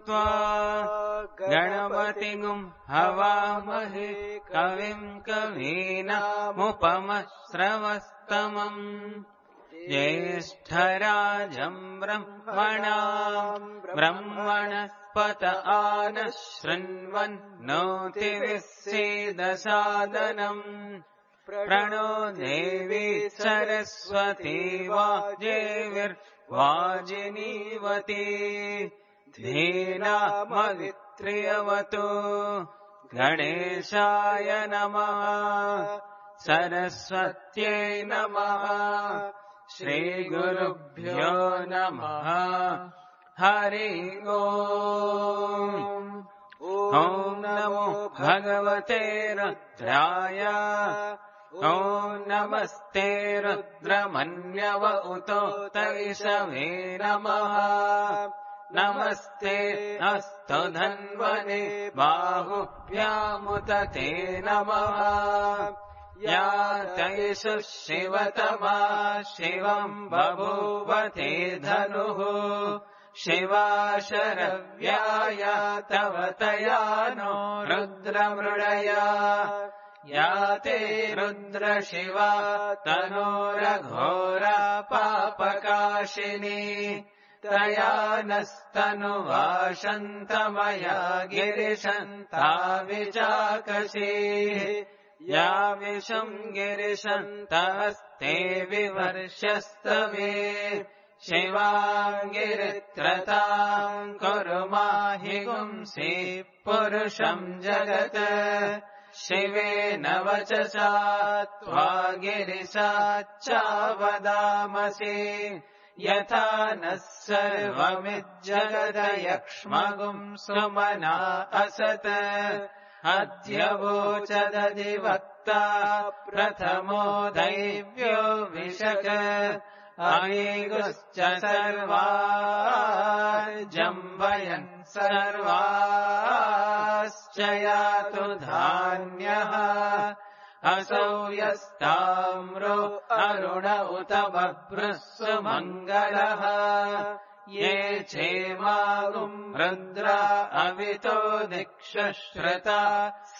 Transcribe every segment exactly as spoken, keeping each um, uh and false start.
त्वा गणपतिगुं हवामहे कविं कवीनामुपमश्रवस्तमम् ज्येष्ठराजं ब्रह्मणां ब्रह्मणस्पत आनः शृण्वन्नोतिभिः सीदसादनम् प्रणो देवी सरस्वती वाजेर्वाजिनीवती धीनामवित्र्यवतु गणेशाय नमः सरस्वत्यै नमः श्रीगुरुभ्यो नमः हरि ओम् ॐ नमो भगवते रुद्राय ॐ नमस्ते रुद्रमन्यव उतोत इषवे नमः नमस्ते अस्तु धन्वने बाहुभ्यामुत ते नमः या तैषु शिवतमा शिवम् बभूव ते धनुः शिवा शरव्याय तव तया नो रुद्रमृडया या ते रुद्र शिवा तनोरघोरा पापकाशिनी तया नस्तनुवाशन्तमया गिरिशन्ता विचाकशी या विषम् गिरिशन्तस्ते विवर्ष्यस्तवे शिवाङ्गिरित्रताम् कुरु माहि गुंसि पुरुषम् जगत् शिवेन वचसा त्वा गिरिशाच्चावदामसि यथा नः सर्वमिज्जगदयक्ष्मगुम् सुमना असत् अद्य वोचदधिवक्ता प्रथमो दैव्यो विशक अयेगुश्च सर्वाजम्बयन् सर्वाश्च यातु धान्यः असौ यस्ताम्रो अरुण उत बभ्रुः सुमङ्गलः ये चेमागुम् रुद्रा अवितो दिक्षुश्रुता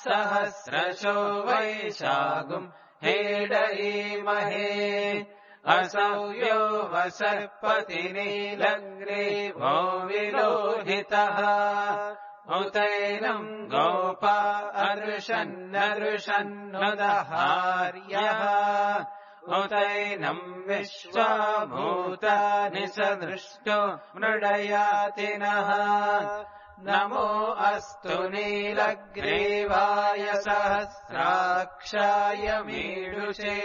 सहस्रशो वैशागुम् हेडयीमहे असौ यो वसर्पतिनीलग्रीवो विलोहितः उतैनम् गोपा अर्षन्नर्षन्नुदहार्यः उतैनम् विश्वाभूतानि सदृष्टो मृडयातिनः नमो अस्तु नीलग्रीवाय सहस्राक्षाय मीडुषे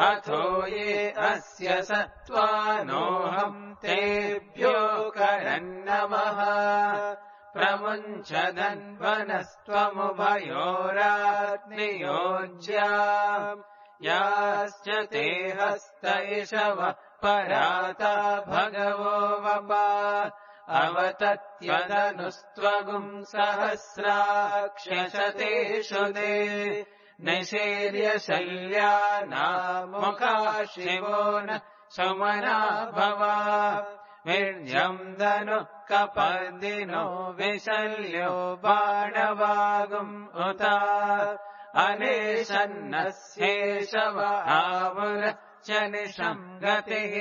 अथो ये अस्य सत्त्वानोऽहम् तेभ्यो करन्नमः प्रमुञ्च धन्वनस्त्वमुभयोराग्नियोज्या याश्च ते हस्त इषवः पराता भगवो वपा अवतत्यदनुस्त्वगुम् सहस्राक्ष्यशतेषु दे निशीर्य शल्यानामुखा शिवो न सुमना भवा वीर्यम् दनुः कपर्दिनो विशल्यो बाणवागुम् उता अनेशन्नस्येषव आवुरश्च निषङ्गतिः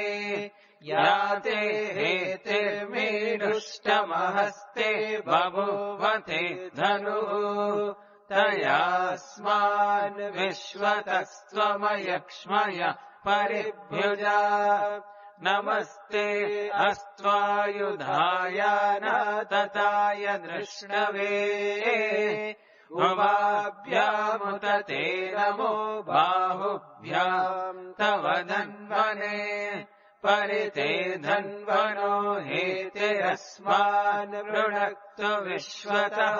याते हेतिर्मीडुष्टमहस्ते बभूवते धनुः तयास्मान् विश्वतस्त्वमयक्ष्मय परिभ्युजा नमस्ते अस्त्वायुधाय नातताय दृष्णवे उभाभ्यामुत ते नमो बाहुभ्याम् तव धन्वने परिते धन्वनो हेतिरस्मान् वृणक्तु विश्वतः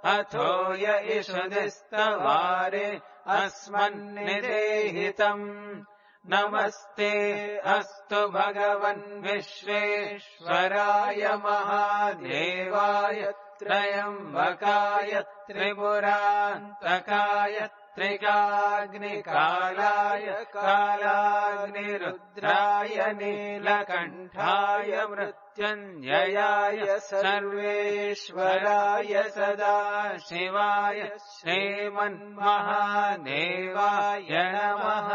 अथो य इषुदिस्तवारे अस्मन्निदेहितम् नमस्ते अस्तु भगवन् विश्वेश्वराय महादेवाय त्रयम्बकाय त्रिपुरान्तकाय त्रिकाग्निकालाय कालाग्निरुद्राय नीलकण्ठाय मृत्युञ्जयाय सर्वेश्वराय सदाशिवाय श्रीमन्महादेवाय नमः।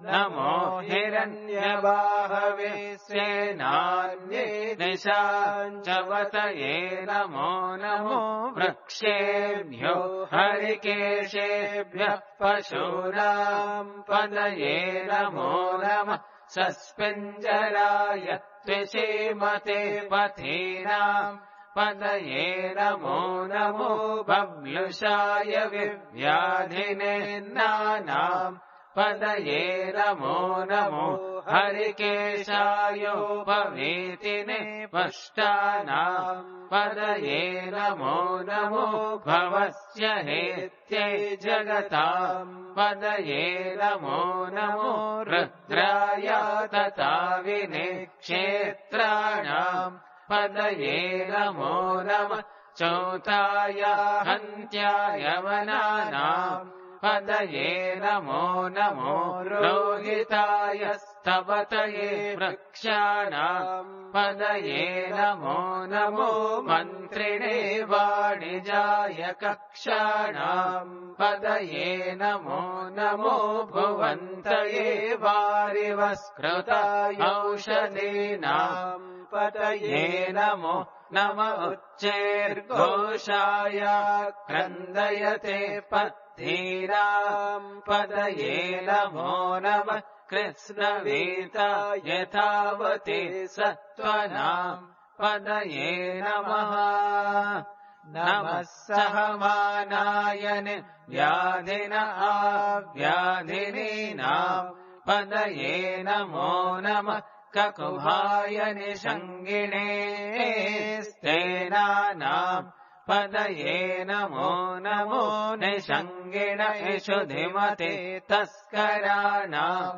नमो हिरण्यबाहवे सेनान्ये निशाञ्चवतये नमो नमो वृक्षेभ्यो हरिकेशेभ्यः पशूनां पदये नमो नमः। सस्पिञ्जराय त्रिशीमते पथीनां पदये नमो नमो बब्लुषाय विव्याधिने नानाम् पदये नमो नमो हरिकेशायोपवीतिने पष्टानां पदये नमो नमो भवस्य हेत्यै जगतां पदये नमो नमो रुद्राय तथाविने क्षेत्राणां पदये नमो नमः। चौताय हन्त्याय वनानां पदये नमो नमो रोहिताय स्तवतये वृक्षाणां पदये नमो नमो मन्त्रिणे वाणिजाय कक्षाणां पदये नमो नमो भुवन्तये वारिवस्कृताय औषधीनां पदये नमो नम उच्चैर्घोषाय क्रन्दयते धीरां पदये नमो नमः। कृत्स्नवेता यथावते सत्त्वनां पदये नमः। नमः सहमानायन व्याधिन आव्याधिनीनां पदये नमो नमः। ककुभाय निषङ्गिणे स्तेनानां पदये नमो नमो निषङ्गिण इषुधिमते तस्कराणां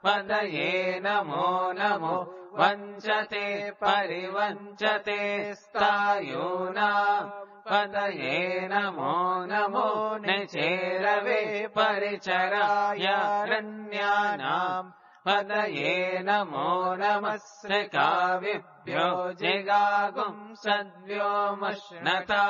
पदये नमो नमो वञ्चते परिवञ्चते स्थायूनां पदये नमो नमो निचेरवे परिचराय रण्यानां पदये नमो नमः। श्रिकाविभ्यो जिगागुं सद्व्योमश्नतां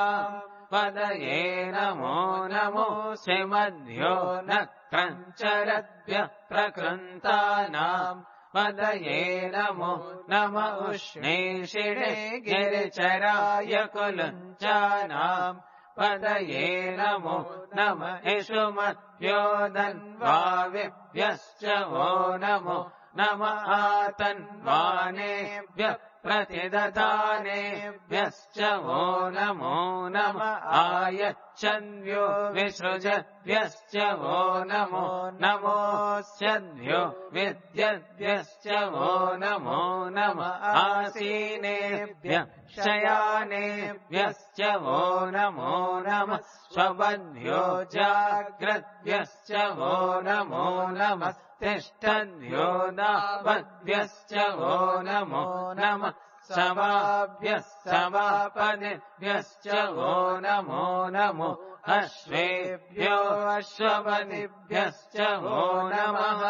पदये नमो नमो श्रीमद्भ्यो नक्रञ्चरद्भ्यः प्रकृन्तानां पदये नमो नम उष्णीषिणे गिरिचराय कुलञ्चानां पदये नमो नम इषुमद्भ्यो धन्वाविभ्यश्च वो नमो नम आतन्वानेभ्यः प्रतिदधानेभ्यश्च वो नमो नम आयच्छद्भ्यो विसृजद्भ्यश्च वो नमो नमोऽस्यद्भ्यो विद्यद्भ्यश्च वो नमो नम आसीनेभ्यः शयानेभ्यश्च वो नमो नमः। स्वपद्भ्यो जाग्रद्भ्यश्च वो नमो नमः। तिष्ठद्भ्यो दावद्भ्यश्च वो नमो नमः। समाभ्यः समापदिभ्यश्च वो नमो नमो अश्वेभ्यो अश्वपदिभ्यश्च वो नमः।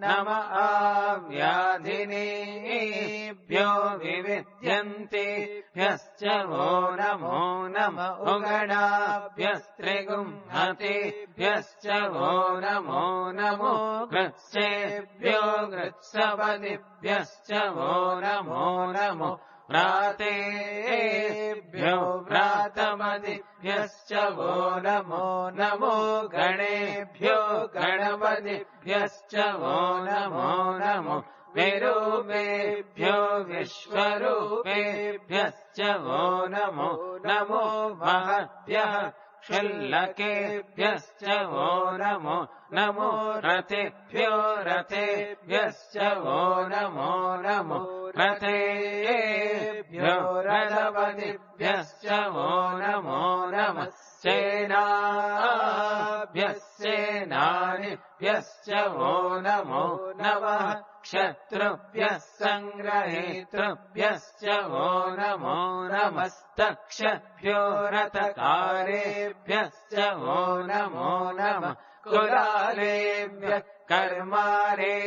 नम आव्याधिनेभ्यो विविध्यन्तेभ्यश्च वो नमो नम उगणाभ्यस्त्रिगुंहतेभ्यश्च वो नमो नमो कृत्सेभ्यो कृत्सपदिभ्यश्च वो नमो नमो व्रातेभ्यो व्रातपदिभ्यश्च वो नमो नमो गणेभ्यो गणपतिभ्यश्च वो नमो नमो विरूपेभ्यो विश्वरूपेभ्यश्च वो नमो नमो महद्भ्यः क्षुल्लकेभ्यश्च वो नमो नमो रथेभ्यो रथेभ्यश्च वो नमो नमो रथेभ्यो रथपतिभ्यश्च वो नमो नमः। सेनाभ्यः सेनानिभ्यश्च वो नमो नमः। क्षत्रुभ्यः सङ्ग्रहेतृभ्यश्च वो नमो नमस्तक्षभ्यो रथकारेभ्यश्च वो नमो नमः कुलालेभ्यः कर्मारेभ्यश्च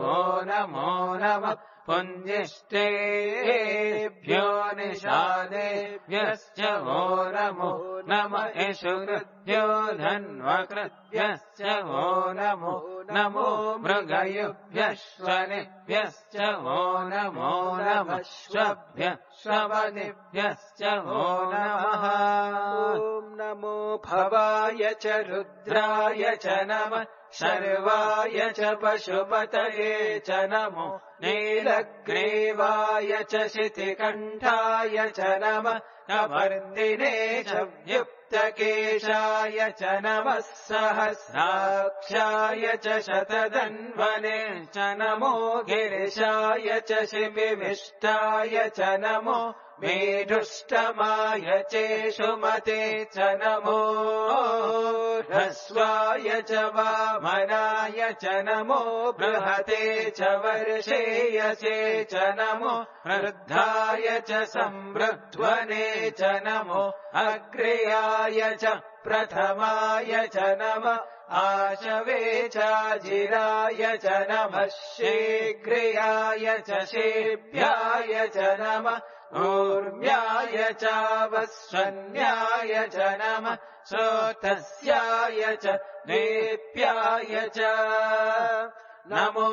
वो नमो नमः पुञ्जिष्टेभ्यो निषादेभ्यश्च वो नमो नमः इषुकृभ्यो धन्वकृभ्यश्च वो नमो नमो मृगयुभ्यः श्वनिभ्यश्च वो नमो नमः श्वभ्यः श्रवनिभ्यश्च वो नमः ॐ नमो भवाय च रुद्राय च नमः शर्वाय च पशुपतये च नमो नीलग्रीवाय च शितिकण्ठाय च नमः कवर्दिने च व्युक्तकेशाय च नमः सहस्राक्षाय च शतधन्वने च नमो गिरिशाय च शिबिविष्टाय च नमो मेढुष्टमाय चेषुमते च नमो ह्रस्वाय च वामनाय च नमो बृहते च वर्षेयसे च नमो वृद्धाय च संवृध्वने च नमो अग्र्याय च प्रथमाय च नमः आशवे चाजिराय च नमः शीघ्रियाय च शेभ्याय च नमः ऊर्म्याय चावस्वन्याय च नमः श्रोतस्याय च नेप्याय च नमो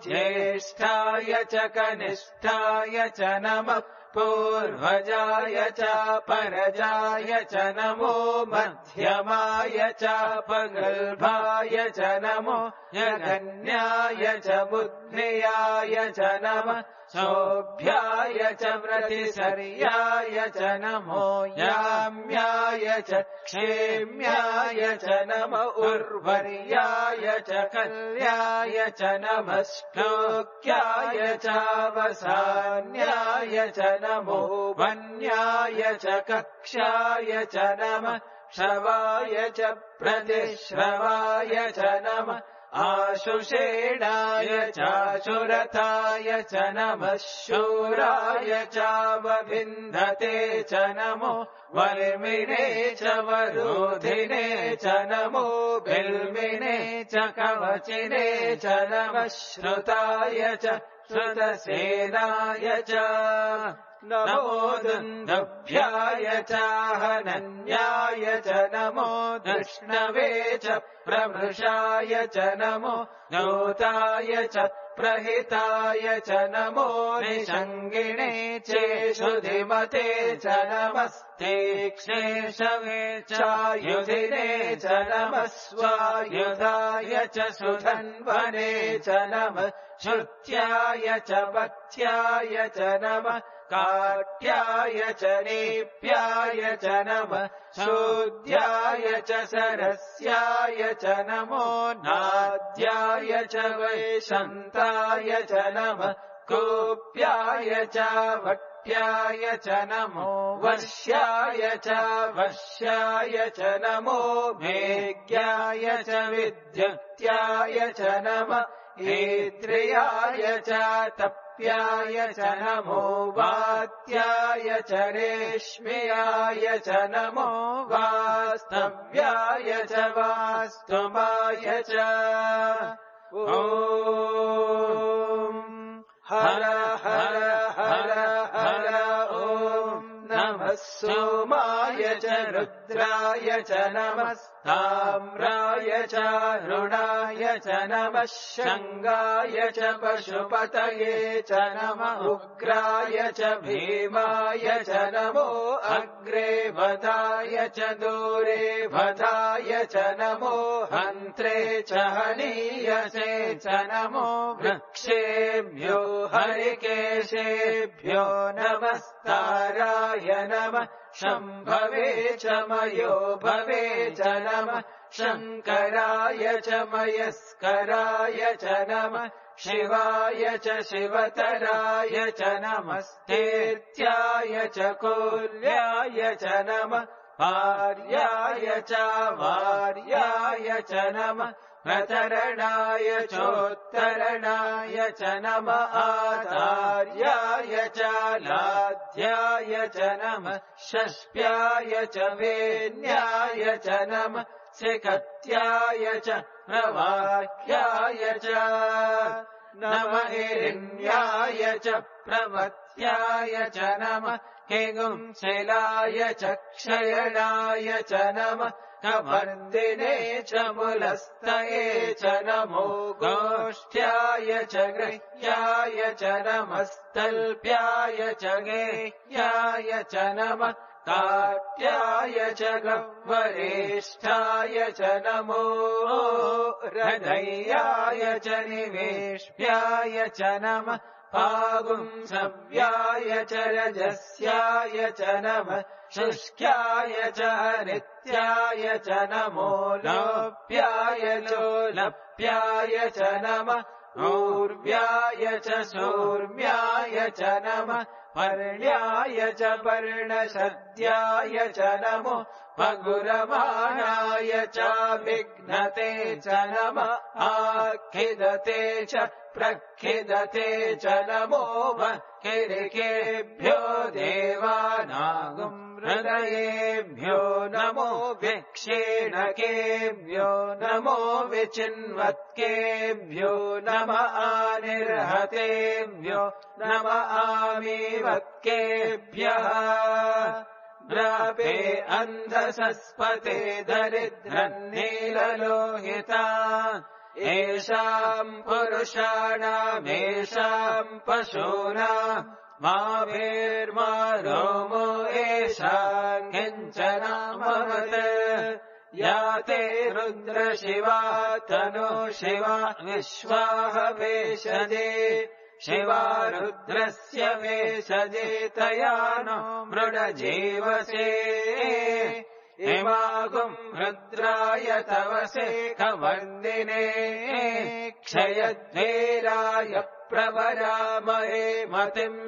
ज्येष्ठाय च कनिष्ठाय च नमः पूर्वजाय च परजाय च नमो मध्यमाय च पगल्भाय च नमो जगन्याय च बुद्ध्याय च नमः शोभ्याय च व्रतिसर्याय च नमो याम्याय च क्षेम्याय च नमः उर्वर्याय च कल्याय च नमः श्लोक्याय चावसान्याय च नमो वन्याय च कक्षाय च नमः श्रवाय च प्रतिश्रवाय च नमः आशुषेणाय चाशुरथाय च नमः शूराय चावभिन्धते च नमो वर्मिणे च वरोधिने च नमो बिल्मिने च कवचिने च नमः श्रुताय च श्रुतसेनाय च नमो दुन्दुभ्याय चाहनन्याय च नमो धृष्णवे च प्रभृशाय च नमो दूताय च प्रहिताय च नमो निषङ्गिणे चेषुधिमते च नमस्तीक्ष्णेशवे चायुधिने च नमः स्वायुधाय च सुधन्वने च नमः श्रुत्याय च पथ्याय च नमः काट्याय च नेप्याय च नमः शोद्याय च सरस्याय च नमो नाद्याय च वैशन्ताय च नमः कोप्याय च वट्याय च नमो वर्ष्याय च वश्याय च नमो मेघ्याय च विद्युत्याय च नमः ऐन्द्रियाय च तप्याय च नमो वात्याय च रेश्म्याय च नमो वास्तव्याय च वास्तुमाय च ॐ हर हर हर हर ॐ नमः सोमाय च रुद्राय च नमः ताम्राय च रुणाय च नमः शङ्गाय च पशुपतये च नमः उग्राय च भीमाय च नमो अग्रे वधाय च दूरे वधाय च नमो हन्त्रे च हनीयसे च नमो वृक्षेभ्यो हरिकेशेभ्यो नमस्ताराय नमः शम्भवे च मयो भवे च नमः शङ्कराय च मयस्कराय च नमः शिवाय च शिवतराय च नमस्तेत्याय च कोल्याय च नमः पार्याय च वार्याय च नमः प्रचरणाय चोत्तरणाय च नम आचार्याय च लाध्याय च नम षष्प्याय च वेन्याय च नम सिकत्याय च प्रवाह्याय च नम हिरण्याय च प्रवत्याय च नम हिगुंशिलाय च क्षयणाय च नम कवर्दिने च मुलस्तये च नमो गोष्ठ्याय च गृह्याय च नमस्तल्प्याय च गेह्याय च नमः काट्याय च गह्वरेष्ठाय च नमो हृदयाय च निवेश्याय च नमः पागुंसव्याय च रजस्याय च नमः शुष्क्याय च नित्याय च नमो लोप्याय लोलप्याय च नमः ऊर्व्याय च शूर्म्याय च नमः पर्ण्याय च पर्णशद्याय च नमो पगुरमाणाय च विघ्नते च नमः आखिदते च प्रखिदते च नमो किरिकेभ्यो देवानागुं हृदयेभ्यो नमो विक्षीणकेभ्यो नमो विचिन्वत्केभ्यो नमः आनिर्हतेभ्यो नमः आमीवत्केभ्यः द्रापे अन्धसस्पते दरिद्रन्नीललोहिता येषाम् पुरुषाणामेषाम् पशूनाम् मा भीर्मा रोमो येषाम् किञ्चनामवत् या ते रुद्रशिवा तनो शिवा विश्वाह वेशजे शिवा रुद्रस्य वेशजे तया नो मृडजीवसे इमागुम् रुद्राय तवसे कवर्दिने क्षयद्वेराय प्रवरामहे मतिम्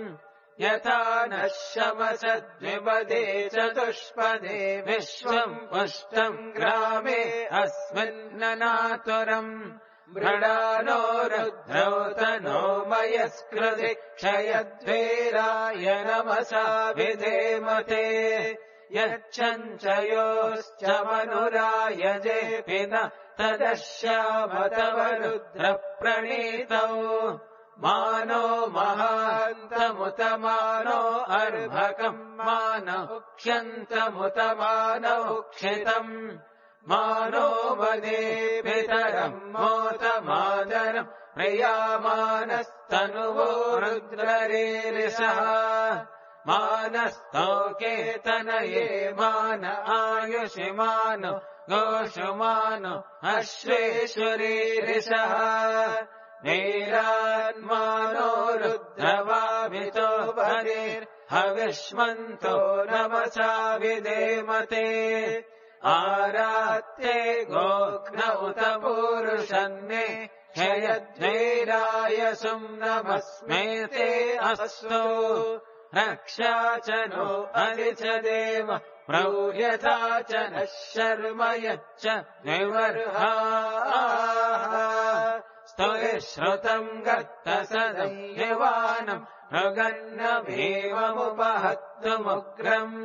यथा नः शमसद्विपदे चतुष्पदे विश्वम् पुष्टम् ग्रामे अस्मिन्ननातुरम् मृडानो रुद्रौ तनो मयस्कृति क्षयद्वेराय नमसा विधेमते यच्छञ्चयोश्च मनुरायजेऽपि न तदश्याम तव रुद्रप्रणीतौ मानो महान्तमुत मानो अर्भकम् मानो उक्ष्यन्तमुत मानो उक्षितम् मानो वदे पितरम् मोत मातरम् प्रियामानस्तनुवो रुद्ररीरिषः मानस्तोकेतनये मान आयुषि मानो गोषु मानो अश्वेश्वरीरिषः वीरान्मानो रुद्रवाभितो बलिर्हविष्मन्तो नमसा विधेमते आरात्ते गोघ्न उत पूरुषन्ने क्षयद्वेराय सुम्नमस्मेते अस्तु रक्षा च नो हरि च देव प्रौर्यथा च नः शर्म यच्च विवर्हाः स्तुति श्रुतम् गत्त सदय्यवानम् मृगन्न भीममुपहत्तुमुग्रम्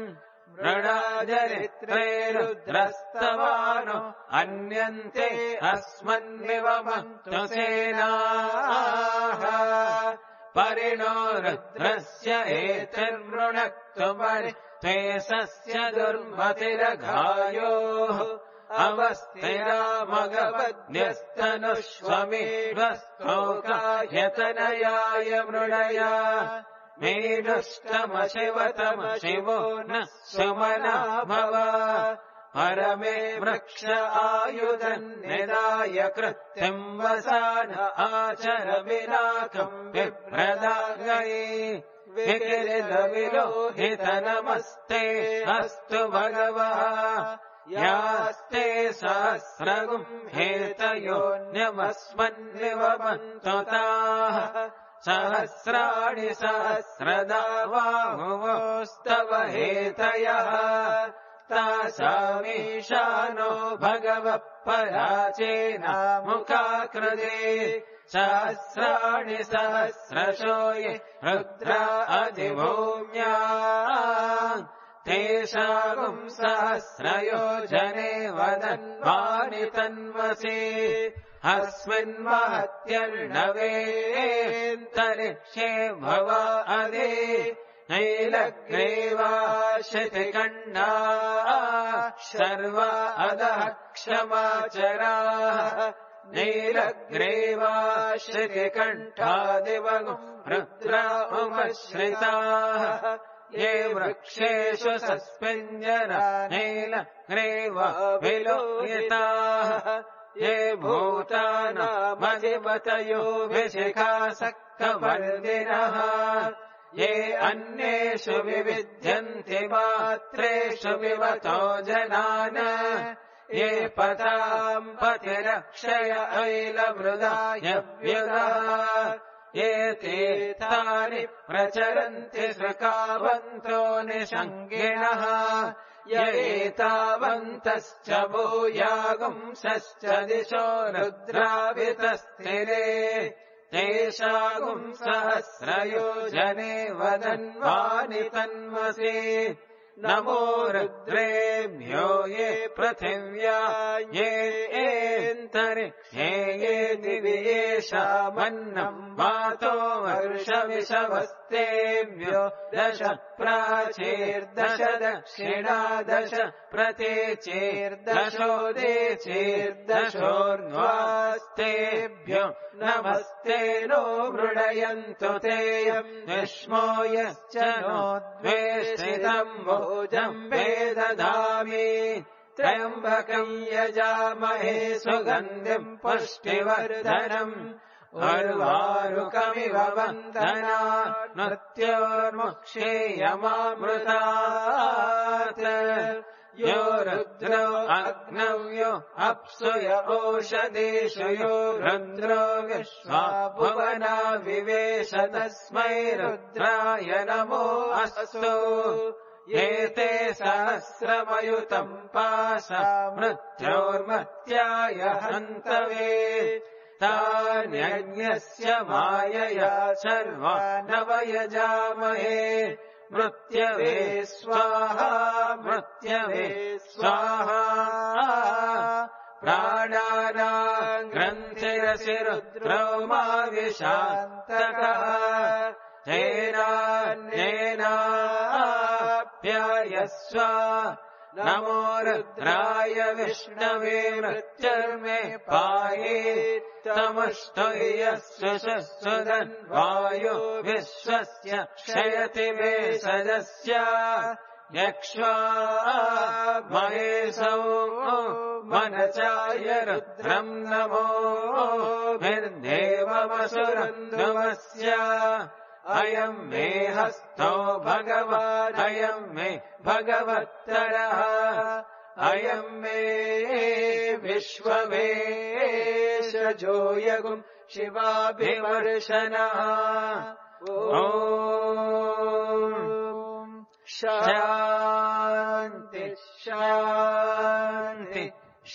मृडाचरित्रे रुद्रस्तवानो अन्यन्ते अस्मन्निवमन्तु सेनाः परिणो रुद्रस्य एतिर्वृणक्तु परि त्वेषस्य दुर्मतिरघायोः अवस्थिरामगवद्यस्तनुष्वमेध्वस्तोकायतनयाय मृडया मेढुष्टमशिवतम शिवो न सुमना भव परमे वृक्ष आयुधन्निदाय कृत्यम् वसान आचर विनाकम् विप्रदागये विकिरितविलोहित नमस्ते अस्तु भगवः यास्ते सहस्रगुम् हेतयोऽन्यमस्मन्निवमन्तु ताः सहस्राणि सहस्रदा बाहुवोस्तव हेतयः तासामीशानो भगवः पराचेना मुखाकृते सहस्राणि सहस्रशो ये रुद्रा अधिभूम्या तेषागुम् सहस्रयोजने वदन्वानि तन्वसि अस्मिन्महत्यर्णवेऽन्तरिक्षे भव अदे नैलग्रीवाशितिकण्डा सर्व अधः क्षमाचराः नीलग्रीवाश्रितिकण्ठादिवगुम् रुद्रा उमश्रिताः ये वृक्षेषु सस्मिञ्जना नीलग्रीव विलोहिताः ये भूतानामधिपतयो विशिखासक्तवर्दिनः ये अन्येषु विविध्यन्ति मात्रेषु विवतो जनान् ये पताम् पतिरक्षय ऐलमृदाय व्युदाः ये तीर्थानि प्रचरन्ति सृकावन्तो निषङ्गिणः य एतावन्तश्च भूयागुंसश्च दिशो रुद्रावितस्थिरे तेषागुम् सहस्रयोजने वदन्वानि तन्वसि नमो रुद्रेभ्यो ये पृथिव्या ये एन्तरिक्षे ये दिवि येषामन्नम् वातो वर्षविषवस्तेभ्यो दश प्राचीर्दश दक्षिणा दश प्रतीचीर्दशोदेचीर्दशोर्ध्वास्तेभ्यो नमस्ते नो मृडयन्तु तेयम् विष्मो यश्च नो द्वेषितम् भोजम् वेदधामि त्र्यम्बकम् यजामहे सुगन्धिम् पुष्टिवर्धनम् उर्वारुकमिव वन्दना नृत्योर्मुक्षेयमामृतात् यो रुद्रो अग्नौ यो अप्सु य ओषधीषु यो रुद्रो विश्वा भुवना विवेश तस्मै रुद्राय नमो अस्तु एते सहस्रमयुतम् पाशा मृत्योर्मत्याय हन्तवे तान्यज्ञस्य मायया सर्वानवयजामहे मृत्यवे स्वाहा मृत्यवे स्वाहा प्राणानाम् ग्रन्थिरसि रुद्रो मा विशान्तकः तेनान्येनाप्यायस्व नमो रुद्राय विष्णवे मृत्युर्मे पाहि तमुष्टुयस्य सुदन्वायो विश्वस्य क्षयति वेषजस्य यक्ष्वा महेशौ मनचाय रुद्रम् नमो निर्देवमसुरन्ध्रुवस्य अयम् मे हस्तो भगवान् अयम् मे भगवत्तरः अयम् मे विश्ववेशजो यगुम् शिवाभिवर्षणः ॐ शान्ति शान्ति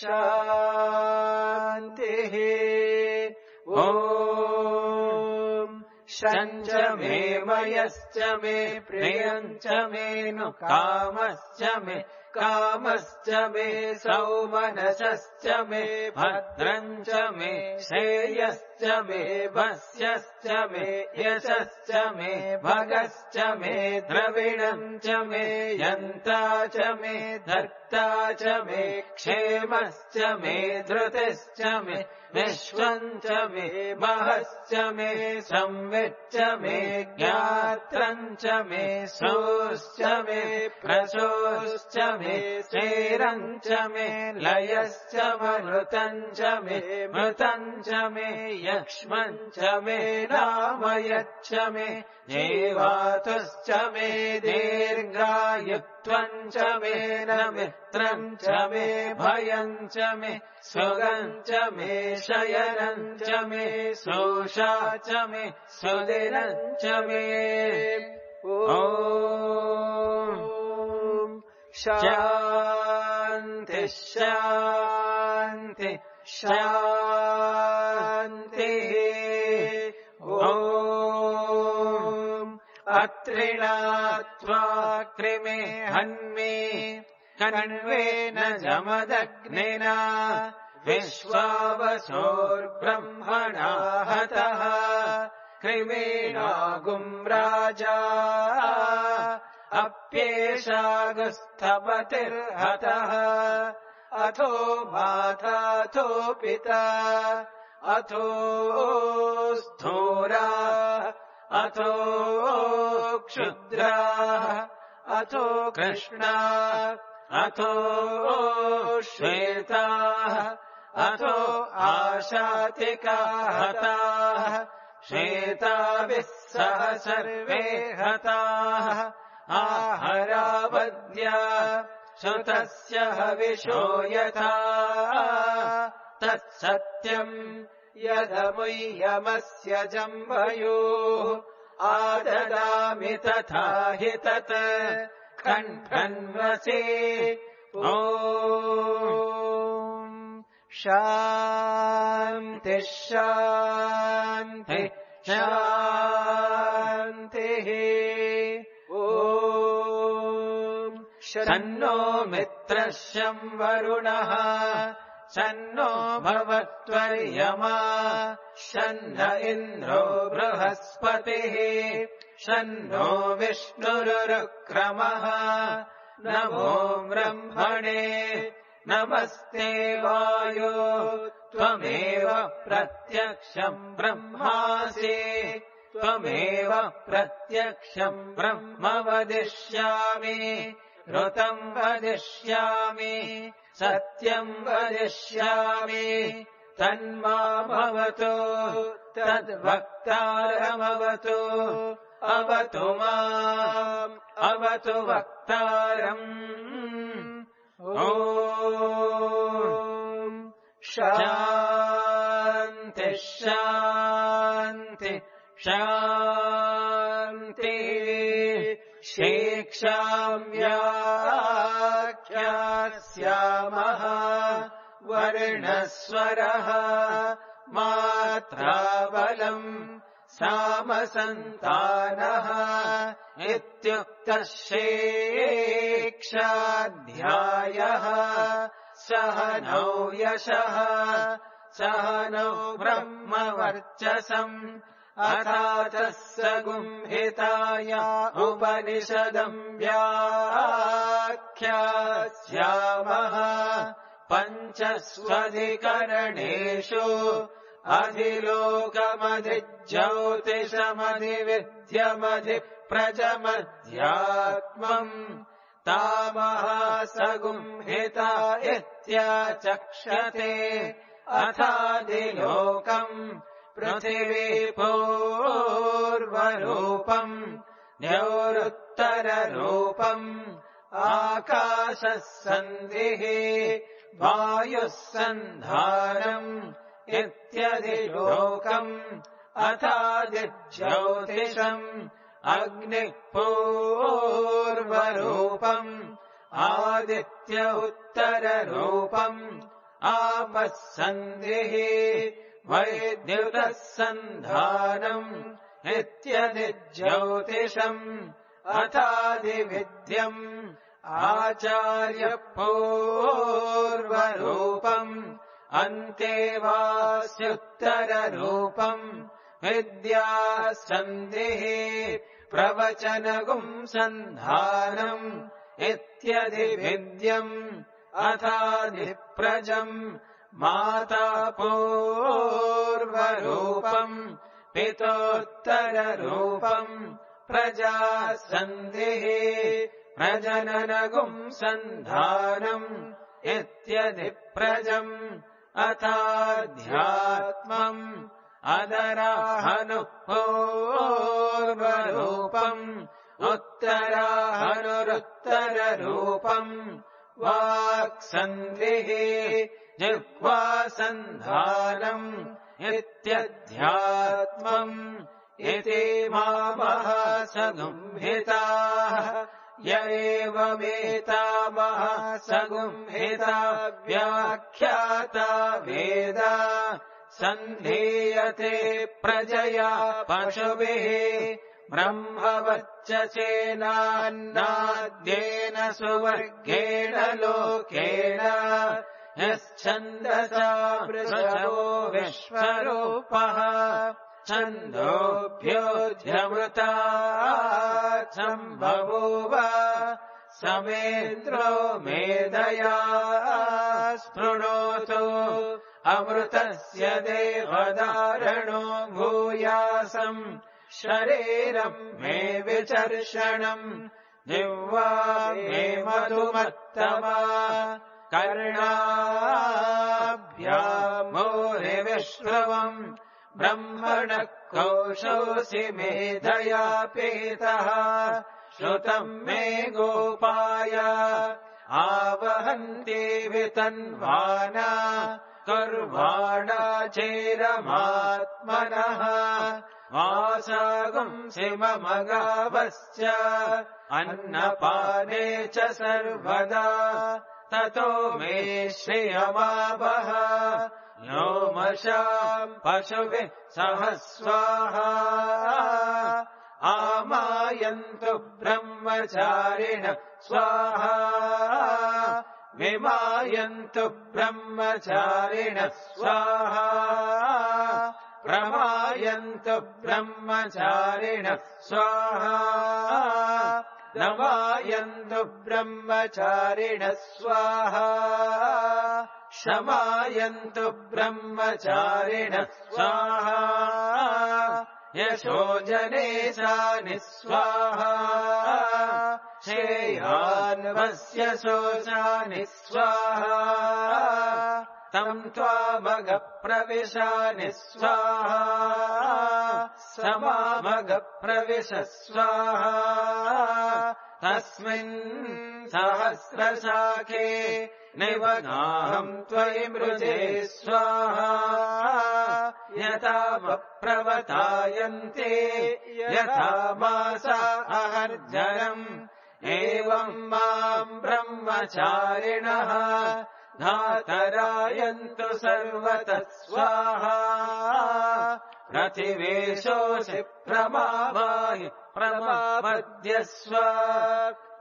शान्तिः ॐ शञ्च मे मयश्च मे प्रियञ्च मे नु कामश्च मे कामश्च मे सौमनसश्च मे भद्रञ्च मे श्रेयश्च मे वस्यश्च मे यशश्च मे भगश्च मे द्रविणम् च मे यन्ता च मे धर्ता च मे क्षेमश्च मे धृतिश्च मे विश्वम् च मे महश्च मे संविच्च मे ज्ञात्रम् च मे सोश्च मे प्रसोश्च मे चेरम् च मे लयश्च मृतम् च मे मृतम् च मे यक्ष्मम् च मे नामयच्च मे जीवातुश्च मे दीर्घायुत्वम् च मे न मित्रम् च मे भयम् च मे सुगम् च मे शयनम् च मे सोषा च मे सुदिनम् च मे ॐ शान्ति शान्ति शान्तिः ॐ अत्रिणात्वा कृमे हन्मे कण्वेन जमदग्निना विश्वावसोर्ब्रह्मणा हतः कृमेणागुम् राजा अप्येषागुस्थपतिर्हतः अथो माताथो पिता अथो स्थूरा अथो क्षुद्रा अथो कृष्णा अथो श्वेताः अथो आशातिका हताः श्वेताभिः सह सर्वे हताः आहरावद्या श्रुतस्य हविषो यथा तत्सत्यम् यदमुह्यमस्य जम्भयोः आददामि तथा हि तत् कण्ठन्वसे ॐ शान्ति शान्ति शान्तिः ॐ शन्नो मित्रः शं वरुणः शन्नो भवत्वर्यमा शन्न इन्द्रो बृहस्पतिः शन्नो विष्णुरुक्रमः नमो ब्रह्मणे नमस्ते वायो त्वमेव प्रत्यक्षम् ब्रह्मासि त्वमेव प्रत्यक्षम् ब्रह्म वदिष्यामि ऋतम् वदिष्यामि सत्यम् वदिष्यामि तन्मामवतु तद्वक्तारमवतु अवतु माम् अवतु वक्तारम् ॐ शान्ति शान्ति शान्तिः शिक्षाम् व्याख्यास्यामः वर्णस्वरः मात्राबलम् सामसन्तानः इत्युक्तः शिक्षाध्यायः सह नौ यशः सह नौ ब्रह्मवर्चसम् अथातः सगुंहिताय उपनिषदम् व्याख्यास्यामः पञ्चस्वधिकरणेषु अधिलोकमधिज्योतिषमधिविद्यमधिप्रजमध्यात्मम् तामहासगुंहिता इत्याचक्षते अथाधिलोकम् पृथिवी पूर्वरूपम् द्यौरुत्तररूपम् आकाशः सन्धिः वायुः सन्धानम् इत्यधिलोकम् अथादिज्योतिषम् अग्निः पूर्वरूपम् आदित्य उत्तररूपम् आपः सन्धिः वैद्युतः सन्धानम् इत्यधिज्योतिषम् अथादिविद्यम् आचार्य पूर्वरूपम् अन्तेवास्युत्तररूपम् विद्या सन्धिः प्रवचनगुम् सन्धानम् इत्यधिविद्यम् अथाधिप्रजम् माता पूर्वरूपम् पितोत्तररूपम् प्रजा सन्धिः प्रजननगुम् सन्धानम् इत्यधिप्रजम् अथाध्यात्मम् अदराहनुः पूर्वरूपम् उत्तराहनुरुत्तररूपम् वाक्सन्धिः जिह्वासन्धानम् इत्यध्यात्मम् इति मामः सगुंहिताः य एवमेतामः सगुंहिता व्याख्याता वेद सन्धीयते प्रजया पशुभिः ब्रह्मवच्च चेनान्नाद्येन सुवर्गेण लोकेन यश्छन्दसा वृषभो विश्वरूपः छन्दोभ्योऽध्यमृतात् सम्बभूव समेन्द्रो मेधया स्पृणोतु अमृतस्य देवदारणो भूयासम् शरीरम् मे विचर्षणम् जिह्वा मे मधुमत्तमा कर्णाभ्याम् मोहिविश्रवम् ब्रह्मणः कोशोऽसि मेधया पीतः श्रुतम् मे गोपाय आवहन्ति वितन्वाना कर्वाणा चेरमात्मनः वासागुंसि मम गावश्च अन्नपाने च सर्वदा ततो मे श्रियमावह लोमशाम् पशुभिः सह स्वाहा आमायन्तु ब्रह्मचारिण स्वाहा विमायन्तु ब्रह्मचारिण स्वाहा प्रमायन्तु ब्रह्मचारिण स्वाहा नमायन्तु ब्रह्मचारिण स्वाहा शमायन्तु ब्रह्मचारिण स्वाहा यशो जनेशानि स्वाहा श्रेयान्वस्य शोचानि स्वाहा तम् त्वामगप्रविशानि स्वाहा समामगप्रविश स्वाहा तस्मिन् सहस्रशाखे निवगाहम् त्वयि मृजे स्वाहा यथा प्रवतायन्ते यथा मासा अहर्जरम् एवम् माम् ब्रह्मचारिणः धातरायन्तु सर्वतः स्वाहा प्रतिवेशोऽसि प्रमावाहि प्रमापद्यस्व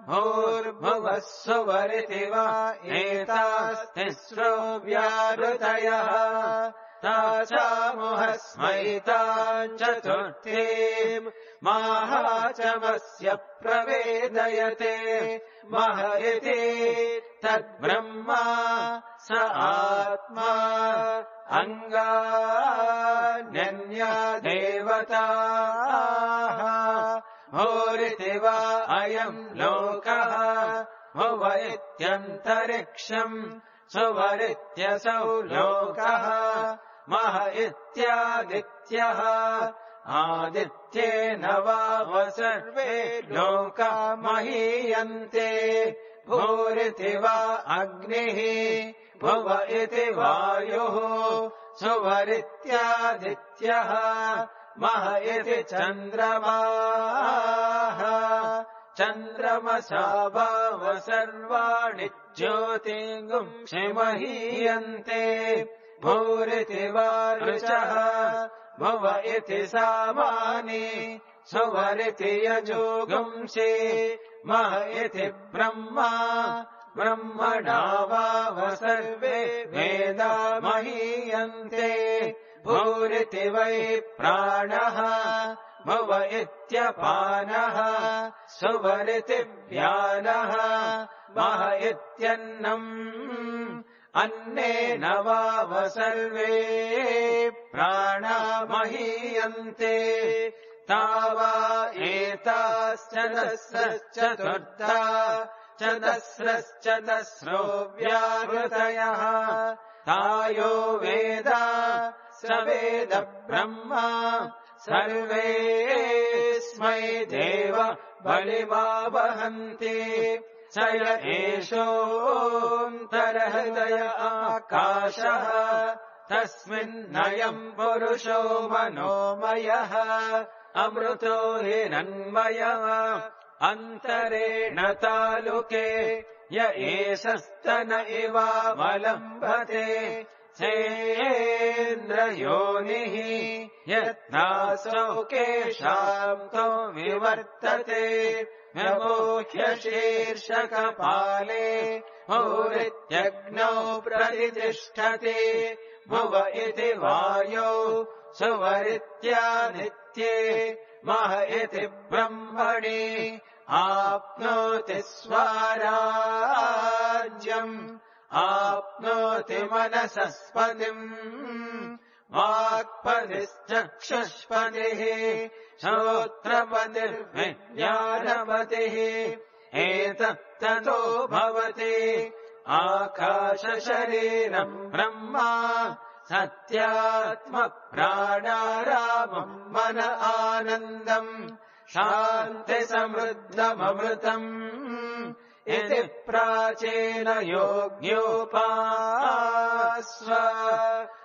भूर्भुवः सुवरिति वा एतास्तिस्रो व्याहृतयः तासामुहस्मैताम् चतुर्थीम् माहाचमस्य प्रवेदयते मह इति तद्ब्रह्मा स आत्मा अङ्गान्यन्या देवताः भूरिति वा अयम् लोकः भुव इत्यन्तरिक्षम् सुवरित्यसौ लोकः मह इत्यादित्यः आदित्येन वाव सर्वे लोका महीयन्ते भूरिति वा अग्निः भुव इति वायुः सुवरित्यादित्यः मह इति चन्द्रमाः चन्द्रमसा वाव सर्वाणि ज्योतिगुंसि महीयन्ते भूरिति वा ऋचः भुव इति सामानि सुवरिति यजोगुंसि मह इति ब्रह्मा ब्रह्मणा वाव सर्वे वेदा महीयन्ते भूरिति वै प्राणः भुव इत्यपानः सुवरिति व्यानः मह इत्यन्नम् अन्नेन वाव सर्वे प्राणा महीयन्ते तावा एताश्चदस्रश्चतुर्था चदस्रश्चदस्रो व्याहृतयः तायो वेद स वेद ब्रह्मा सर्वेऽस्मै देव बलिमावहन्ति स य एषोऽन्तरहृदय आकाशः तस्मिन्नयम् पुरुषो मनोमयः अमृतो हिरण्मयः अन्तरेण तालुके य एषस्तन इवावलम्बते सेन्द्रयोनिः यत्नासौ केशान्तो विवर्तते व्यमोह्य शीर्षकपाले भूरित्यग्नौ प्रतितिष्ठति भुव इति वायौ सुवरित्यादित्ये मह इति ब्रह्मणि आप्नोति स्वराज्यम् आप्नोति मनसस्पतिम् वाक्पतिश्चक्षुष्पतिः श्रोत्रपतिर्विज्ञानपतिः एतत्ततो भवति आकाशशरीरम् ब्रह्मा सत्यात्मप्राणारामम् मन आनन्दम् शान्तिसमृद्धममृतम् इति प्राचीन योग्योपास्व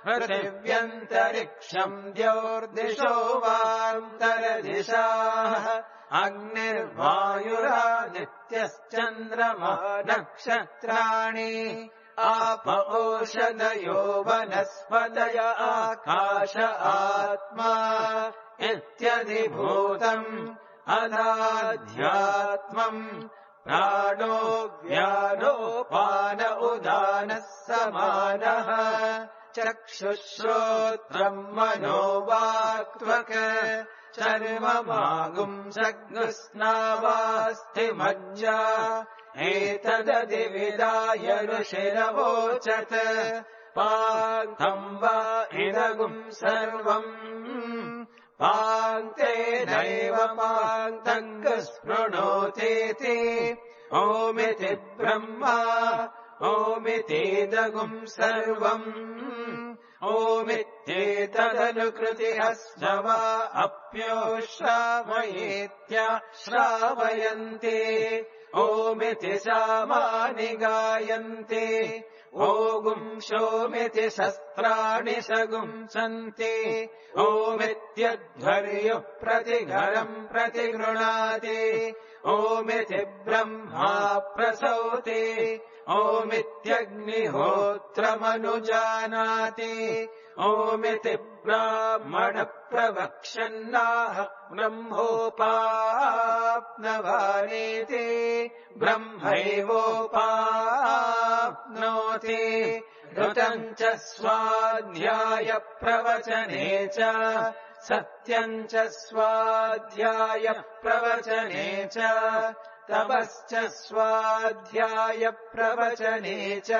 पृथिव्यन्तरिक्षम् द्योर्दिशो वान्तरदिशाः अग्निर्वायुरादित्यश्चन्द्रमा नक्षत्राणि आप ओषधयो वनस्पतय आकाश आत्मा इत्यधिभूतम् अदाध्यात्मम् प्राणो व्यानोपान उदानः समानः चक्षुश्रोत्रम् मनोवाक्त्वक् चर्ममागुंसग्स्नावास्थिमज्जा एतदधिविदाय ऋषिरवोचत् पान्तम् वा इदगुम् सर्वम् पान्तेनैव पान्तम् स्पृणोतीति ओमिति ब्रह्मा ओमितीदगुम् सर्वम् ओमित्येतदनुकृतिः वा अप्योश्रावयेत्या श्रावयन्ति ओमिति सामानि गायन्ति ओगुंशोमिति शस्त्राणि सगुंसन्ति ओमित्यध्वर्युः प्रतिघरम् प्रतिगृह्णाति ओमिति ब्रह्मा प्रसौति ओमित्यग्निहोत्रमनुजानाति ओमिति ब्राह्मण प्रवक्ष्यन्नाह ब्रह्मोपाप्नवानेति ब्रह्मैवोपाप्नोति ऋतम् च स्वाध्याय प्रवचने च सत्यम् च स्वाध्याय प्रवचने च तपश्च स्वाध्याय प्रवचने च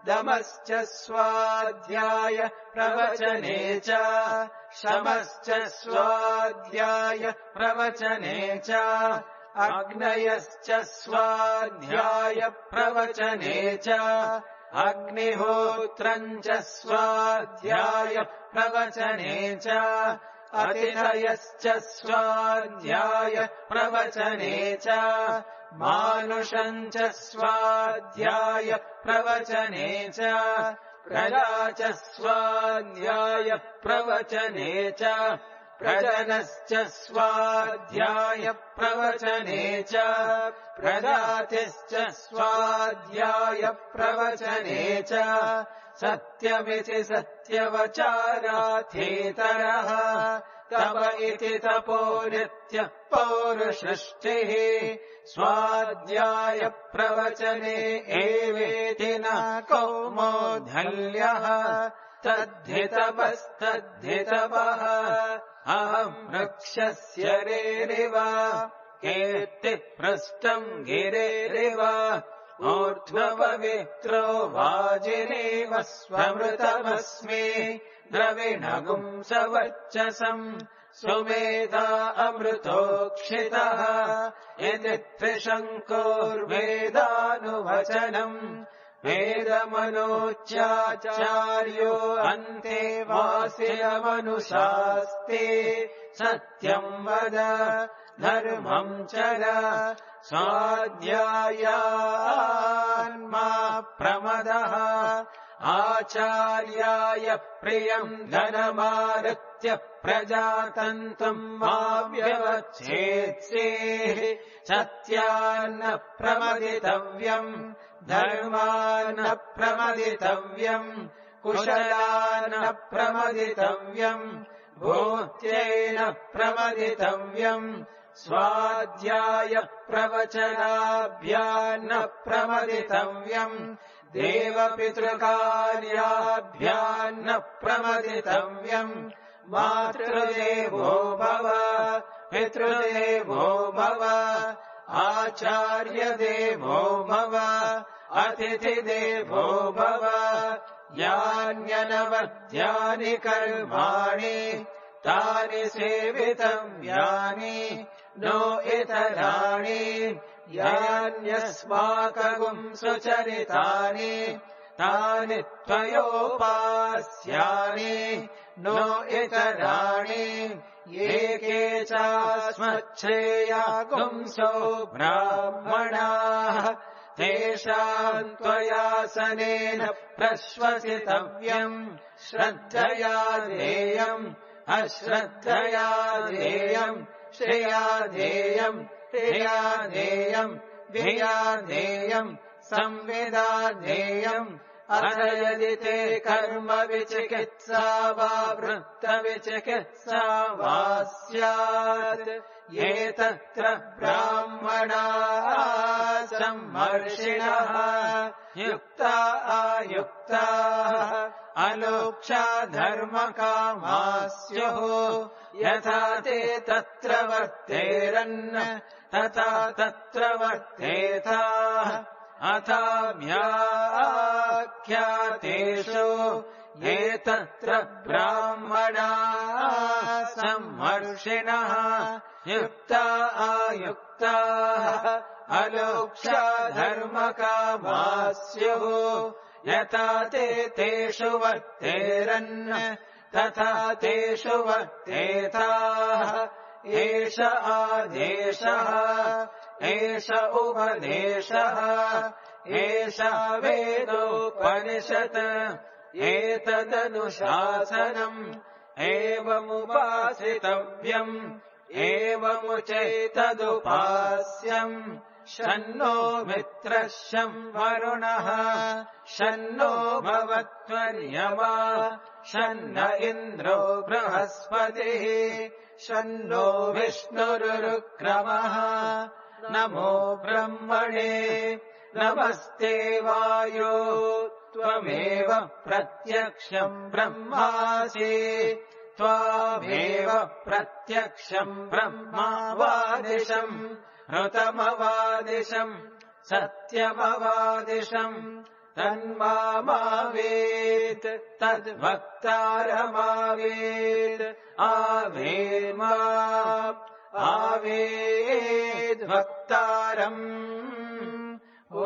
दमश्च स्वाध्याय प्रवचने च शमश्च स्वाध्याय प्रवचने च अग्नयश्च स्वाध्याय प्रवचने च अग्निहोत्रम् च स्वाध्याय प्रवचने च अतिथयश्च स्वाध्याय प्रवचने च मानुषम् च स्वाध्याय प्रवचने च प्रजा च स्वाध्याय प्रवचने च प्रजनश्च स्वाध्याय प्रवचने च प्रजातिश्च स्वाध्याय प्रवचने च सत्यमिति सत्यवचाराथेतरः तव इति तपो नित्यः पौरुषष्टिः स्वाध्याय प्रवचने एवेति न कौमोधल्यः तद्धितपस्तद्धितपः अहम् वृक्षस्य रेरिव कीर्तिपृष्टम् गिरेरिव ऊर्ध्वपवित्रो वाजिनीव स्वमृतमस्मि द्रविणगुम् सवर्चसम् सुमेधा अमृतोक्षितः इति त्रिशङ्कोर्वेदानुवचनम् वेदमनोच्चाचार्यो अन्ते वासिनमनुशास्ते सत्यम् वद धर्मम् चर स्वाध्यायान्मा प्रमदः आचार्याय प्रियम् धनमारुत्य प्रजातन्तम् मा व्यवच्छेत्सेः सत्यान्न प्रमदितव्यम् धर्मान्न प्रमदितव्यम् कुशलान्न प्रमदितव्यम् भूत्येन प्रमदितव्यम् स्वाध्याय प्रवचनाभ्यान्न प्रमदितव्यम् देवपितृकार्याभ्यान्न प्रमदितव्यम् मातृदेवो भव पितृदेवो भव आचार्यदेवो भव अतिथिदेवो भव यान्यनवद्यानि कर्माणि तानि सेवितव्यानि नो इतराणि यान्यस्माकं सुचरितानि तानि त्वयोपास्यानि नो इतराणि ये के चास्मच्छ्रेयागुंसो ब्राह्मणाः तेषाम् त्वयासनेन प्रश्वसितव्यम् श्रद्धया देयम् अश्रद्धया देयम् श्रेया देयम् तेया देयम् धिया देयम् संविदा देयम् अथ यदि ते कर्म विचिकित्सा वा वृत्तविचिकित्सा वा स्यात् ये तत्र ब्राह्मणाः सम्मर्षिणः युक्ता आयुक्ताः अलोक्षा धर्मकामाः स्युः यथा ते तत्र वर्तेरन् तथा तत्र वर्तेताः अथाभ्याख्यातेषु ये तत्र ब्राह्मणाः सम्मर्षिणः युक्ता आयुक्ताः अलोक्षा धर्मकामाः स्युः यथा ते तेषु वर्तेरन् तथा तेषु वर्तेताः एष आदेशः एष उपदेशः एष वेदोपनिषत् एतदनुशासनम् एवमुपासितव्यम् एवमुचैतदुपास्यम् शन्नो मित्रः शं वरुणः शन्नो भवत्वर्यमा शन्न इन्द्रो बृहस्पतिः शन्नो विष्णुरुक्रमः नमो ब्रह्मणे नमस्ते वायो त्वमेव प्रत्यक्षम् ब्रह्मासि त्वामेव प्रत्यक्षम् ब्रह्मावादिशम् ऋतमवादिशम् सत्यमवादिशम् तन्मावेत् तद्वक्तारमावेत् आवेमा आवेद्वक्तारम् ॐ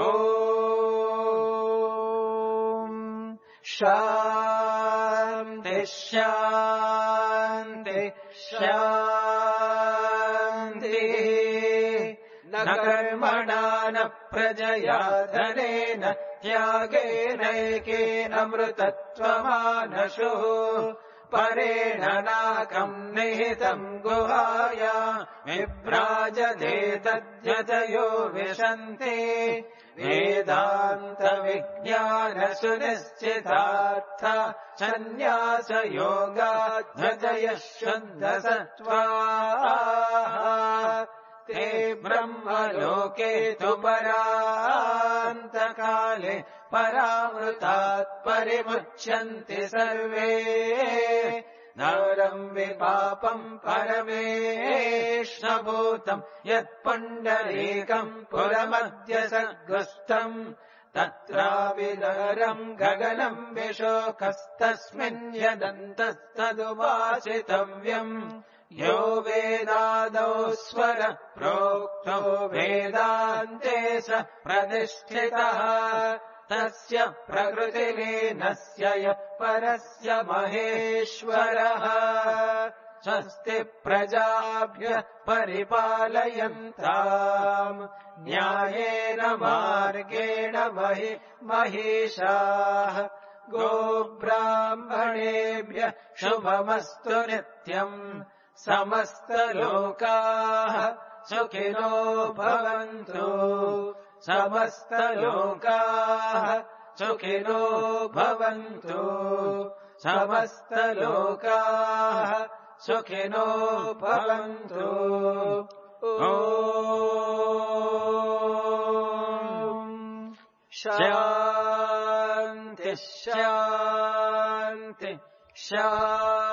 शान्ति शान्ति शान्तिः न कर्मणा न प्रजया धनेन त्यागेनैकेन अमृतत्वमानशुः परेण नाकम् निहितम् गुहाया विभ्राजते तद्यतयो विशन्ति वेदान्तविज्ञानसुनिश्चितार्थ सन्न्यासयोगाध्यतयः शुद्धसत्त्वाः ते ब्रह्मलोके तु परान्तकाले परामृतात् परिमुच्यन्ति सर्वे नरम् विपापम् परमेष्णभूतम् यत्पुण्डरीकम् पुरमद्य सद्गुस्तम् तत्राविदरम् गगनम् विशोकस्तस्मिन् यदन्तस्तदुपासितव्यम् यो वेदादौ स्वर प्रोक्तो वेदान्ते स प्रतिष्ठितः तस्य प्रकृतिलीनस्य यः परस्य महेश्वरः स्वस्ति प्रजाभ्यः परिपालयन्ताम् न्यायेन मार्गेण महि महिषाः गोब्राह्मणेभ्यः शुभमस्तु नित्यम् समस्तलोकाः सुखिनो भवन्तु समस्तलोकाः सुखिनो भवन्तु समस्तलोकाः सुखिनो भवन्तु ॐ शान्ति शान्ति शान्ति